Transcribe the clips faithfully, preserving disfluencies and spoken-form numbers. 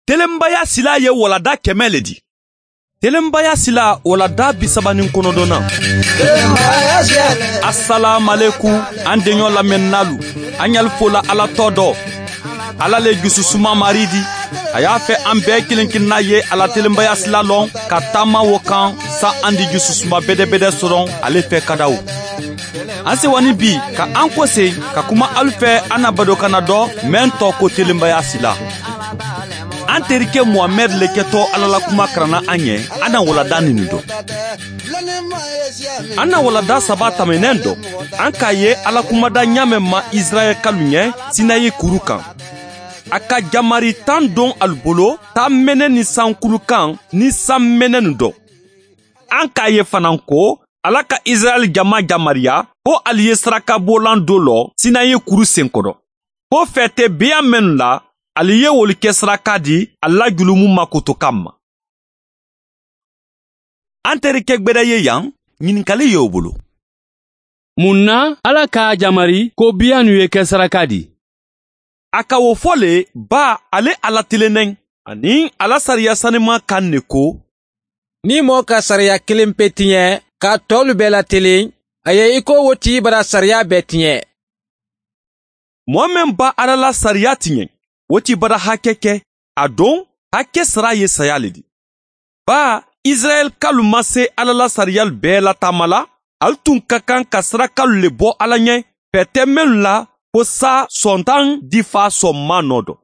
Telenbaya silaa ye waladaa kɛmɛ le di. Telenbaya silaa waladaa bisabaniŋ konodonnaŋ. Asalaamualekum, an deɲɔ lamɛnnaalu. An ɲalifoola ala tɔ dɔ, ala le jususuma marii di. A ye a fɛ an bɛɛ kiliŋ kiliŋ na ye a la telenbaya silaa loŋ ka taama wo kaŋ, sa an di jususuma bedebede soroŋ ale fɛ kadawu. An sewa ni bi ka an koseŋ ka kuma alu fɛ, an na badokanna dɔ meŋ tɔɔ ko telenbaya silaa. An terike muhamɛdi le ketɔ ala la kuma karanna an ye. An na waladaa ninu dɔn. An na waladaa saba tameneŋ dɔn. An k'a ye ala kumada ɲaameŋ ma isirayɛli kalu ɲɛ sinayi kuru kaŋ. A ka jamari taŋ doŋ alu bolo, taameneŋ ni sankulu kaŋ ni sanmenenu dɔn. An k'a ye fanaa ko ala ka isirayɛli jama jamariya ko ali ye sarakaboolan do lɔ sinayi kuru senkodo, ko feete beya mennu la ali ye wolu ke saraka di ali la julumu makoto kamma. An terike gbeda ye yaŋ, ɲininkali ye wo bolo. Muŋ na ala ka a jamari ko biyanu ye ke saraka di? A ka wo fo le, baa ale ala tilineŋ aniŋ a la sariya sanimaa kaŋ ne ko, niŋ moo ka sariya kiliŋ pe tiɲe ka a toolu bee la tiliŋ, a ye i ko wo ti bara sariya bee tiɲe. Moo meŋ ba ala la sariya tiɲe, wo ti bara hake ke. A doŋ, hake saraa ye sayaa le di. Baa isirayɛli kalu ma se ala la sariyalu bee la taama la. Ali tun ka kaŋ ka sarakalu le bo ala ɲɛ, feete mennu la fo saa sontaŋ difaa sonmaanoo do.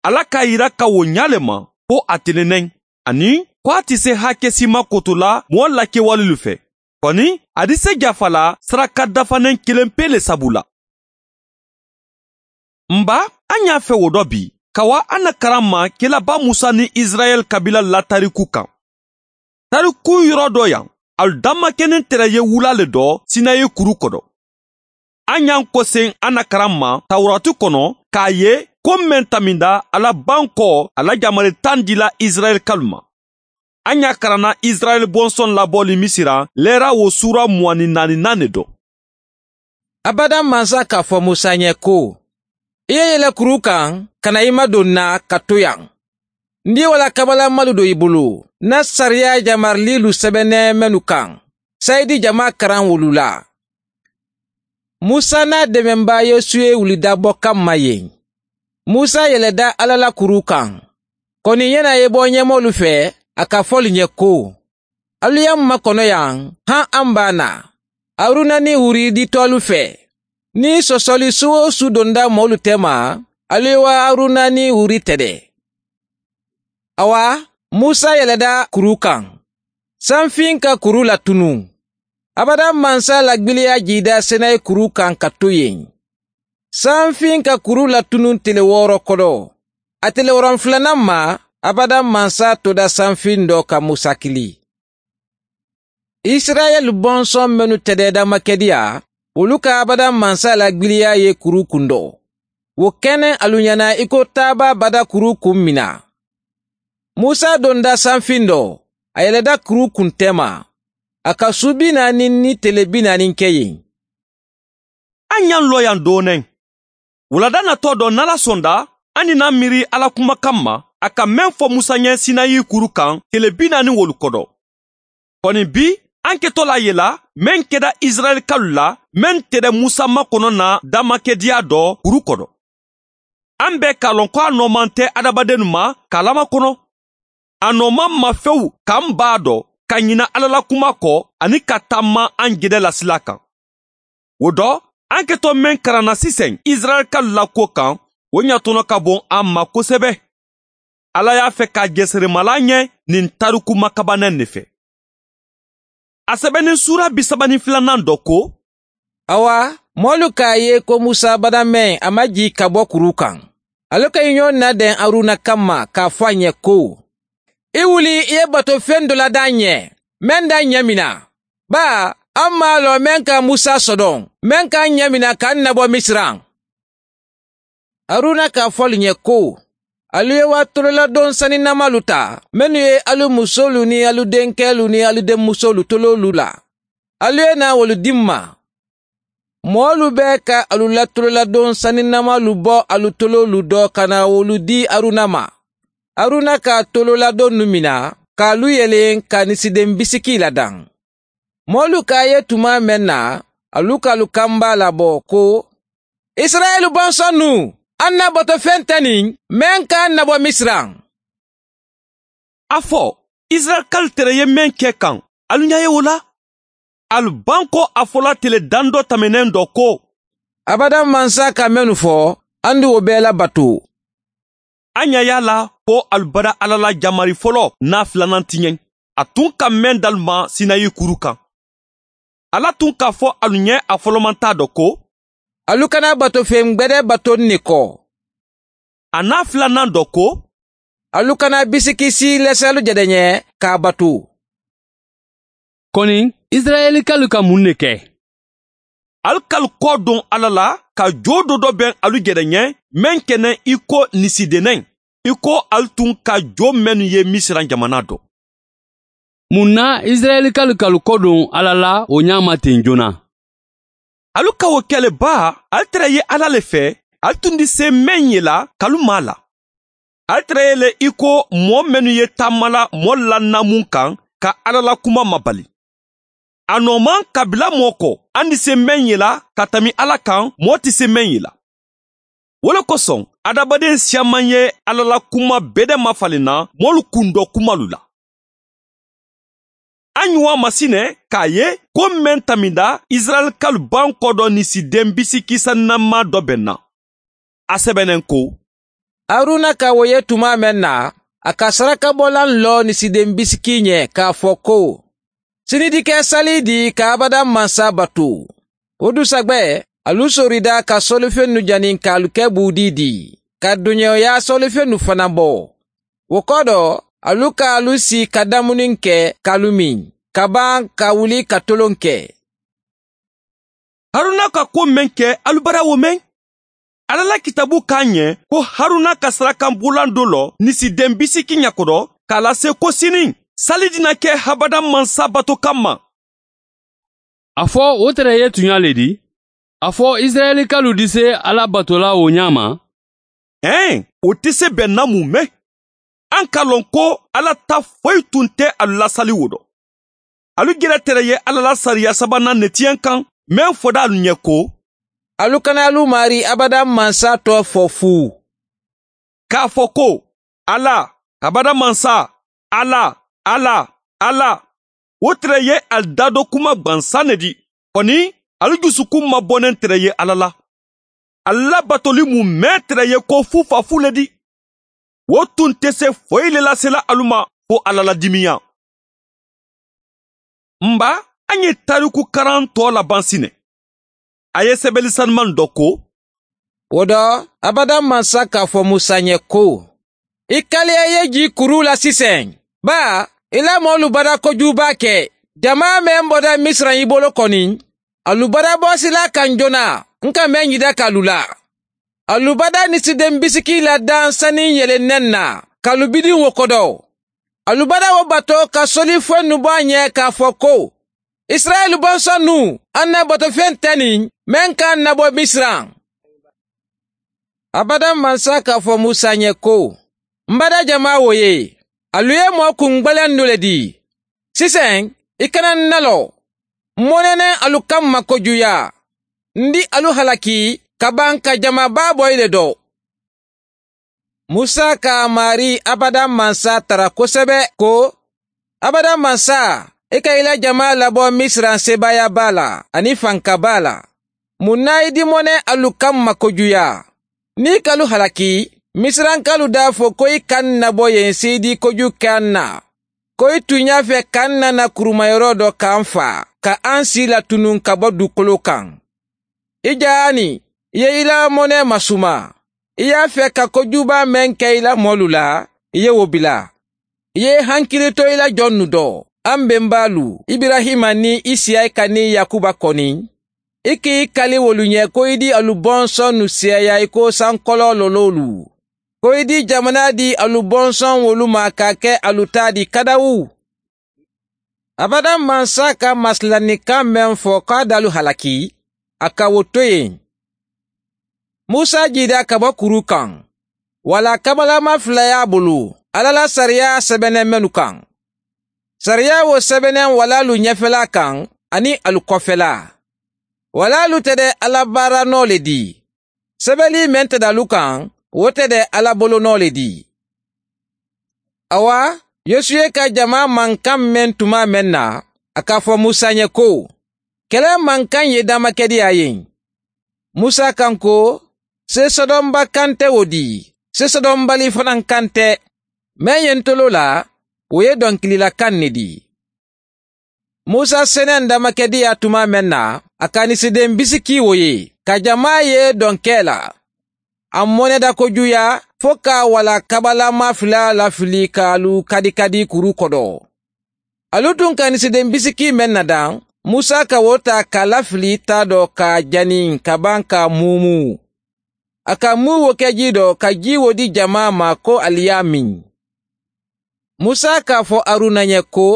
Ala ka a yira ka wo ɲaa le ma fo a tilineŋ, aniŋ ko a ti se hakesiima koto la moo lakewalelu fe. Koni a di se jafa la saraka dafaneŋ kiliŋ pee le sabu la. N ba, an ɲaa fe wo do bi ka wa an na karamma kelaba musa niŋ isirayɛli kabiilalu la tariku kaŋ. Tariku yoro do yaŋ, alu damma keniŋ tere ye wulaa le do sinayi kuru kodo. An ɲa n koseŋ an na karamma tawurati kono ka a ye ko meŋ taminda a la bankoo a la jamari taŋ dila isirayɛli kalu ma. An ɲa karanna isirayɛli bonsoŋ labooli misira leera wo suura muwaani naani naani do. Abadaŋ mansa ka fo musa ɲe ko, i ye yele kuru kaŋ ka na i madoŋ na ka to yaŋ. N di wala kabala malu do i bulu na sariya jamariliilu sebeneŋ mennu kaŋ, sayidi jamaa karaŋ wolu la. Musa n'a demenbaa yosuwe wulida bo kamma yen. Musa yeleda alla la kuruu kaŋ. Koni ɲena ye bo ɲemoolu fe, a ka fo lu ɲe ko, alu ye m makonoyaŋ, haŋ a m baa na, haruna niŋ huri ditoolu fe. Niŋ sosoli su-wo-su donda moolu tema, alu ye wa haruna niŋ huri tede. Awa, musa yeleda kuruu kaŋ. Sanfiŋ ka kuruu la tunuŋ. Abadaŋ mansa la gbiliya jiida senayi kuruu kaŋ ka to yen. Sanfiŋ ka kuruu la tunuŋ tile wooro kodo. A tile woronfulanaŋ ma, abadaŋ mansa toda sanfiŋ do ka musa kili. Isirayɛli bonsoŋ mennu tedeeda makediya, wolu ka abadaŋ mansa la gbiliya ye kuruu kundo. Wo keneŋ alu ɲana i ko taaba bada kuruu kuŋ mina. Musa donda sanfiŋ do, a yeleda kuruu kuŋ tema. A ka suu bi naani ni tele bi naani ke yen. A ɲa n looyaŋ dooneŋ. Wulada natoo do nala sonda, a ni na miiri alla kuma kamma a ka meŋ fo musa ɲe sinayi kuru kaŋ tele bi naani wolu kodo. Koni bi, a n ke to la a ye la meŋ keda isirayɛli kalu la, meŋ tede musa makono na damakediya do kuru kodo. A n be ka a loŋ ko a noomaŋ te adamadennu ma ka a lamakono. A noomaŋ ma fewu ka m baa do ka ɲina alla la kuma ko, aniŋ ka tamma a n jede la silaa kaŋ. Wo do, a n ke to meŋ karanna siseŋ isirayɛli kalu la kuwo kaŋ, wo ɲatono ka boŋ a ma kosebe. Alla ye a fe ka a jeseremalaa ɲe niŋ tariku makabaneŋ ne fe. A sebeniŋ suura bisabaniŋ filanaŋ do ko, awa, moolu ka a ye ko musa badameŋ a maŋ jii ka bo kuruu kaŋ. Alu ka i ɲoŋ nadeŋ haruna kamma ka a fo a ɲe ko, i wuli i ye bato feŋ do la daa ǹ ye, meŋ daa ǹ ɲemina. Baa, a maŋ a loŋ meŋ ka musa sodoŋ, meŋ ka ǹ ɲemina ka ǹ nabo misira. Haruna ka a fo alu ɲe ko, alu ye wa tololadoŋ saninamaalu taa mennu ye alu musoolu niŋ alu denkeelu niŋ alu denmusoolu toloolu la. Alu ye naa wolu di m ma. Moolu bee ka alu la tololadoŋ saninamaalu bo alu toloolu do ka naa wolu di haruna ma. Haruna ka a toloola donnu mina ka a lu yeleŋ ka a nisideŋ bisikii la daŋ. Moolu ka a ye tumaa meŋ na, a lu ka a lu kambaa la bo ko, isirayila bonsonnu, alu na bato feŋ te niŋ meŋ ka alu na bo misira. A fo isirayila kalu tere ye meŋ ke kaŋ, alu ña ye wo la? Alu baŋ ko a fola tele daŋ do tameneŋ do ko, abadaŋ mansa ka mennu fo, alu ni wo bee la bato. A ña ye a la ko alu bada alla la jamari foloo naa filanaŋ ti ñeŋ, a tuŋ ka meŋ da alu ma sinayi kuru kaŋ. Alla tuŋ ka fo alu ñe a folomantaa do ko, alu kana bato feŋ gbede batoŋ ne ko. A naa filanaŋ do ko, alu kana bisikisi leselu jede ñe ka a batu. Koni isirayila kalu ka muŋ ne ke? Ali kalu koo duŋ alla la ka joo dodo beŋ alu jede ñe, meŋ ke ne i ko nisideneŋ, i ko ali tuŋ ka joo mennu ye misira jamanaa do. Muŋ na isirayila kalu kalu koo duŋ alla la wo ñaama teŋ joona? Ali ka wo ke le baa? Ali tara ye alla le fee, ali tundi see meŋ ye la kalu maa la. Ali tara ye le i ko moo mennu ye taamala moolu la namuŋ kaŋ ka alla la kuma mabali. A noo maŋ kabila moo ko, andi se meŋ ye la ka tami alla kaŋ moo ti se meŋ ye la. Wo le kosoŋ adamadeŋ siyaamaŋ ye alla la kuma bede mafaliŋ na moolu kundoo kumalu la. A ñuwa masine ka a ye ko meŋ taminda isirayila kalu baŋ kodo nisideŋ bisikisa nammaa do beŋ na. A sebeneŋ ko, haruna ka wo ye tumaa meŋ na, a ka sarakabolaŋ loo nisideŋ bisikii ñe ka a fo ko, sini dike sali di ka abadaŋ mansa batu. Wo dusagbe, alu sorida ka solifennu janiŋ ka alu ke buudii di, ka duñewoyaa solifennu fanaŋ bo. Wo kodo, alu ka alu sii ka damuniŋ ke ka alu miŋ, ka baŋ ka wuli ka toloŋ ke. Haruna ka kuwo meŋ ke, alu bara wo meŋ? Alla la kitaabu ka a ñe ko haruna ka sarakanbulaŋ do lo nisideŋ bisiki ña kodo, ka a lase ko siniŋ sali di na ke habadaŋ mansa bato kamma. A fo wo tara ye tuñaa le di? A fo isirayila kalu di se alla bato la wo ñaama? Ee, wo ti se be namu me. Aŋ ka loŋ ko alla ta foyi tun te alu la sali wo do. Alu jere tere ye alla la sariya sabanaa netiyaŋ kaŋ, meŋ foda alu ñe ko, alu kana alu maarii abadaŋ mansa too fo fuu. Ka a fo ko, alla, abadaŋ mansa, alla, alla, alla. Wo tere ye ali daado kuma gbansaŋ ne di. Koni, ali jusukun maboneŋ tere ye alla la. Ali la batoli mu mee tere ye ko fuufa fu le di. Wo tun te se foyi le lasela alu ma fo alla la dimiyaŋ. Mba, a ñe taariku karaŋ too labaŋ si ne. A ye sebeli sanimaŋ do ko, wo do, abadaŋ mansa ka a fo musa ñe ko, i kaliya ye jii kuruu la siseŋ. Baa, i la moolu bada kojuubaa ke. Jamaa meŋ boda misira i bolo koni, alu bada boosilaa kaŋ jona, n ka meŋ yida ka alu la. Alu bada nisideŋ bisikii la daŋ saniŋ yele neŋ na, ka alu bidiŋ wo kodo. Alu bada wo bato ka soli foyinnu bo a ñe ka a fo ko, isirayila bonsonnu, alu na bato feŋ te niŋ meŋ ka alu na bo misira. Abadaŋ mansa ka a fo musa ñe ko, m bada jamaa wo ye, alu ye moo kungbaleyandu le di. Siseŋ, i kana n nalo. M mo nene alu kamma kojuyaa. N di alu halaki ka baŋ ka jamaa baa boyi le do. Musa ka a maarii abadaŋ mansa tara kosebe ko, abadaŋ mansa, i ka i la jamaa labo misira sebaaya baa la aniŋ fanka baa la. Muŋ na i di mo ne alu kamma kojuyaa? Niŋ i ka alu halaki, misirankaalu daa fo ko i ka n nabo ye n seedii kojuu ke a n na, ko i tuñaa fe ka n nana kurumayeroo do ka n faa ka a n sii la tunuŋ ka bo duukoloo kaŋ. I jaani, i ye i la monee masumaa. I ye a fee ka kojuubaa meŋ ke i la moolu la, i ye wo bila. I ye i hankili to i la jonnu do, a m bembaalu, iburayima niŋ isiyaka niŋ yakuba koni. I ka i kali wolu ñe ko i di alu bonsonnu seeyaa i ko sankoloo loloolu, ko i di jamanaa di alu bonsoŋ wolu ma ka a ke alu taa di kadawu. Abadaŋ mansa ka masilannikaŋ meŋ fo ko a daalu halaki, a ka wo to yen. Musa jiida ka bo kuruu kaŋ, walla kabalama fula ye a bulu. Alla la sariyaa sebeneŋ mennu kaŋ. Sariyaa wo sebeneŋ walaalu ñefelaa kaŋ aniŋ alu kofelaa. Walaalu te de alla baaranoo le dii. Sebelii meŋ te de alu kaŋ, wo te de alla bolonoo le dii. Awa, yosuwe ka jamaa mankaŋ meŋ tumaa meŋ na, a ka a fo musa ye ko, kele mankaŋ ye damakediyaa ye. Musa kaŋ ko, seesodomba kaŋ te wo dii, seesodombali fanaŋ kaŋ te. Meŋ ye ntoloo la, wo ye donkilila kaŋ ne dii. Musa seneŋ damakediyaa tumaa meŋ na, a ka nisideŋ bisikii wo ye, ka jamaa ye donkee la. A moneda kojuuyaa fo ka a wala kabalama filaa lafili ka a lu kadikadi kuruu kodo. Alu tuŋ ka nisideŋ bisikii meŋ na daŋ, musa ka wo taa ka a lafili taa do ka a janiŋ ka baŋ ka a muumuu. A ka muu wo ke jii do ka jii wo dii jamaa ma ko ali ye a miŋ. Musa ka a fo haruna ye ko,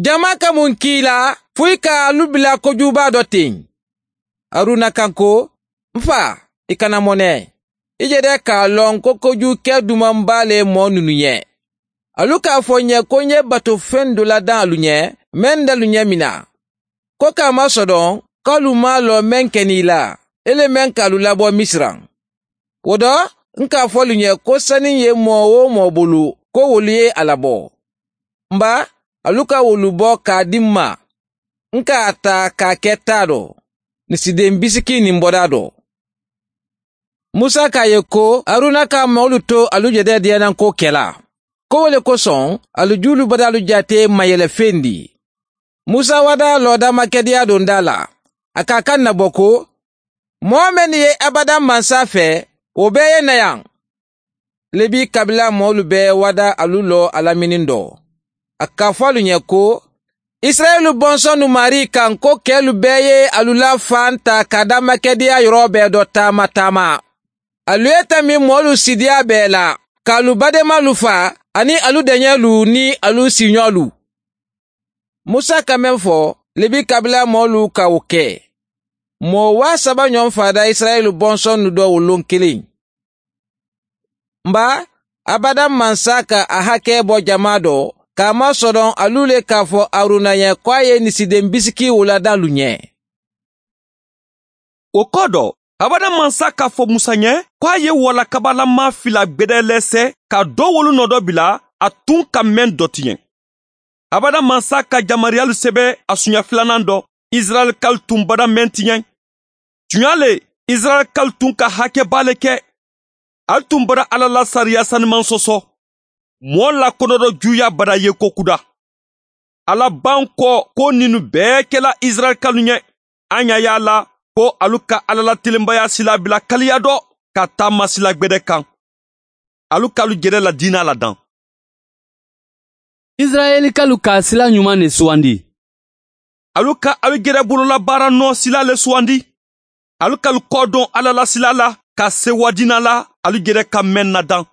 jamaa ka muŋ ke i la fo i ka alu bila kojuubaa do teŋ? Haruna kaŋ ko, n faa, i kana mone. I je de ka a loŋ ko kojuu ke dumaŋ baa le moo nunu ye. Alu ka a fo n ye ko n ye bato feŋ doo la daŋ alu ye, meŋ de alu ye mina. Ko ka a masodoŋ ko alu maŋ a loŋ meŋ ke niŋ i la, i le meŋ ka alu labo misira. Wo do, n ka a fo alu ye ko saniŋ ye moo-wo-moo bulu, ko wolu ye a labo. Mba, alu ka wolu bo ka a dii m ma. N ka a taa ka a ke taa do, nisideŋ bisikii niŋ bodaa do. Musa ko a ye ko, haruna ka moolu to alu je de diyanaŋ ko kela. Ko wo le kosoŋ, alu juulu badaalu jaatee mayele fendi. Musa wada loo damakediyaa dondaa la. A ka a kaŋ na bo ko, moo mennu ye abadaŋ mansa fee, wo bee ye nayaŋ. Lebi kabila moolu be wada alu loo a la miniŋ do. A ka fo alu ye ko, isirayila bonsonnu maarii kaŋ ko keelu bee ye alu la fanta ka damakediyaa yoroo bee do taama taama. Alu ye tambi moolu sidiyaa bee la, ka alu badeemaalu faa aniŋ alu deñeelu niŋ alu siiñoolu. Musa ka meŋ fo, lebi kabila moolu ka wo ke. Moo waa saba ñoŋ faada isirayila bonsonnu do wo luŋ kiliŋ. Mba, abadaŋ mansa ka a hakee bo jamaa do, ka a masodoŋ alu le ka a fo haruna ye ko a ye nisideŋ bisikii wo la daŋ alu ñe. Wo koo do, abadaŋ mansa ka a fo musa ñe ko a ye wala kabalama fila gbede le se ka doo wolu noo do bila a tuŋ ka meŋ doti ñe. Abadaŋ mansa ka jamariyaalu sebe a suuña filanaŋ do, isirayila kalu tuŋ bada meŋ ti ñe. Tuñaa le, isirayila kalu tuŋ ka hakee baa le ke. Ali tuŋ bada alla la sariyaa sanimaŋ soso, moo la konodojuuyaa bada yeekoo kuda. Alla baŋ ko ko ninnu bee kela isirayila kalu ñe. A ñaa ye a la ko alu ka alla la tilinbayaa silaa bila kaliya do ka taama silaa gbede kaŋ. Alu ka alu jede la diinaa la daŋ. Isirayeli kalu ka a sila ñumaŋ ne suwandi. Alu ka alu jede bolola baara noo sila le suwandi. Alu ka alu koodoŋ alla la sila la ka a sewa diinaa la alu jede ka meŋ na daŋ.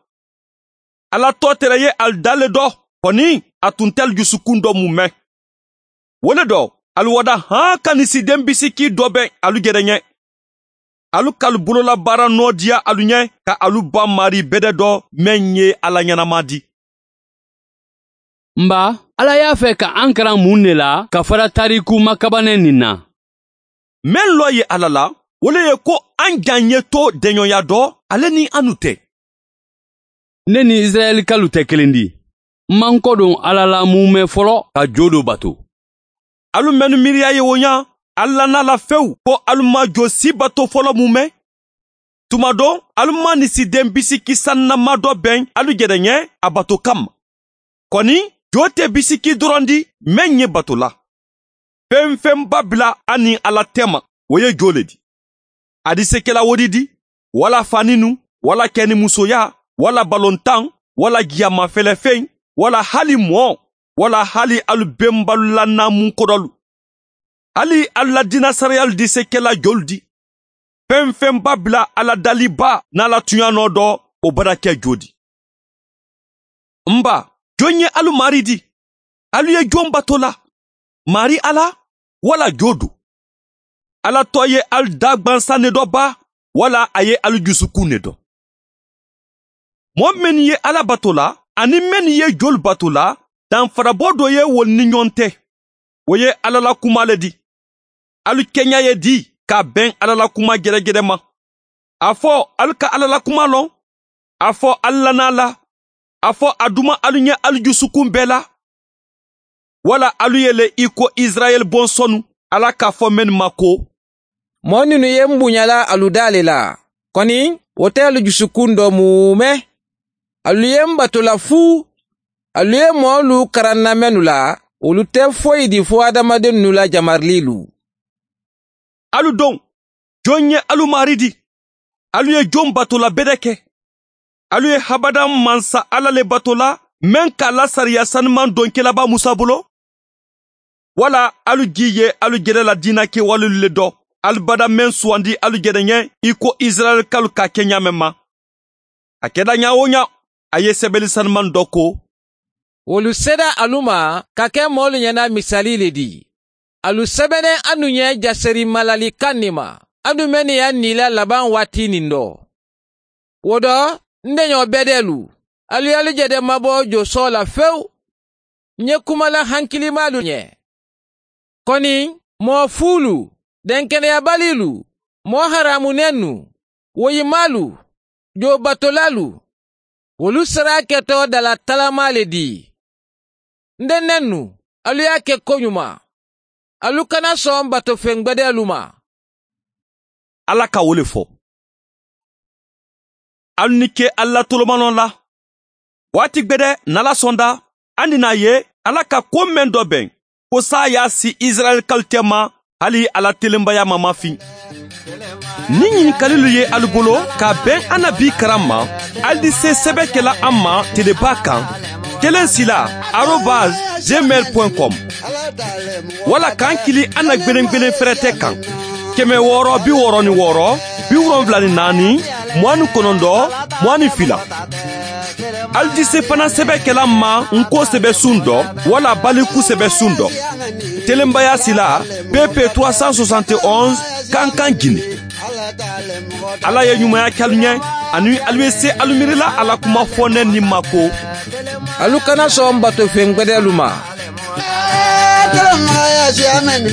Alla tootere ye alu daa le do, koni a tuntelu jusukuŋ do mu meŋ. Wo le do, alu wada haŋ ka nisideŋ bisikii do be alu jede ñe. Alu ka alu bolola baara noo diya alu ñe ka alu baŋ maarii bede do meŋ ye alla ñanamaa di. Mba, alla ye a fee ka ankaraŋ muŋ ne la ka fara taariku makabaneŋ niŋ na? Meŋ loo ye alla la, wo le ye ko aŋ jaŋ ye to deñoyaa do ale niŋ a nu te. Ne niŋ isirayeli kalu te kiliŋ di? M maŋ kodoŋ alla la muumee folo ka joo do bato. Alu mennu miiriyaa ye wo ñaa, alla naa la fewu ko alu maŋ joo si bato folo muumee. Tuma doŋ alu maŋ nisideŋ bisiki sannamaa do beŋ alu jede ñe a bato kamma. Koni joo te bisiki doroŋ di meŋ ñe bato la. Feŋ-feŋ babila a niŋ alla teema, wo ye joo le di. A disekela wo di di, walla faaninu, walla kenimusoyaa, walla balontaŋ, walla jiyamaa felefeŋ, walla hali moo, walla hali alu bembalu la naamuŋ kodolu. Hali alu la diina sariyaalu disekela joolu di. Feŋ-feŋ babila alla dali baa naa la tuñaa noo do, wo bada ke joo di. M baa, joŋ ye alu maarii di? Alu ye joŋ bato la, maarii alla walla joo do? Alla too ye alu daagbansaŋ ne do baa walla a ye alu jusukuŋ ne do? Moo mennu ye alla bato la, aniŋ mennu ye jolu batu la, danfaraboo doo ye wolu ni ñoŋ te. Wo ye alla la kumaa le di. Alu keña ye dii ka a beŋ alla la kumaa jedejede ma. A fo alu ka alla la kumaa loŋ? A fo alu la naa la? A fo a duma alu ñe alu jusukun bee la? Walla alu ye le i ko isirayeli bonsonu? Alla ka a fo mennu ma ko, moo mennu ye m buña la alu daa le la, koni wo te alu jusukun doo muume. Alu ye m batu la fuu. Alu ye moolu karaŋ n na mennu la, wolu te foyi di fo hadamadennu la jamariliilu. Alu doŋ, joŋ ye alu maari di? Alu ye joŋ batu la bede ke? Alu ye habadaŋ mansa alla le batu la, meŋ ka a la sariya sanumaŋ donkilabaa musa bulu? Walla alu jii ye alu jede la diina kewalelu le do? Alu bada meŋ suwandi alu jede ñe i ko isirayeli kalu ka a ke ñaameŋ ma. A keta ñaa-wo-ñaa, a ye sebeli sanumaŋ do ko, wolu seeda alu ma ka ke moolu ñana misali le di. Alu sebene anu ñe jaseri malali kaŋ ne ma, anu mennu ye a niila labaŋ waati niŋ do. Wo do, n deñoo bedeelu, alu ye alu jede mabo joosoo la fewu. N ye kuma la hankilimaalu ñe, koni moo fuulu, denkeneyabaliilu, moo haraamu nennu, woyimaalu, joobatolaalu, wolu saraaketoo dala talamaa le dii. N de nennu, alu ye a ke koñumaa. Alu kana soŋ batofeŋ gbedeelu ma. Alla ka wo le fo. Alu ni ke alu la tolomanoŋ la. Waati gbede nala sonda, andi naa ye alla ka ko meŋ do beŋ, ko saayaa si isirayeli kalu tema, hali a la telembayaa ma mafiŋ. Niŋ ñinikalilu ye alu bulu ka a beŋ a na bii karaŋ ma, alu di see sebe ke la a ma telebaa kaŋ, keleŋ sila, arobas, gmail point com. Walla ka n kili a na gbeneŋ gbeneŋ ferete kaŋ, keme wooro bi wooro ni wooro, bi wolonwula ni naani, muwaani konondoo, muwaani fila. Alu di sefana sebe ke la n ma n ko sebe suŋ do, walla baliku sebe suŋ do. Telembayaa sila, pp trois cent soixante et onze, kankan jini. Alla ye ñumaya ke alu ñe, aniŋ alu ye se alu miiri la a la kuma fo ne niŋ ma ko, alu kana soŋ batofeŋ gbedeelu ma. Telembayaa si a mennu.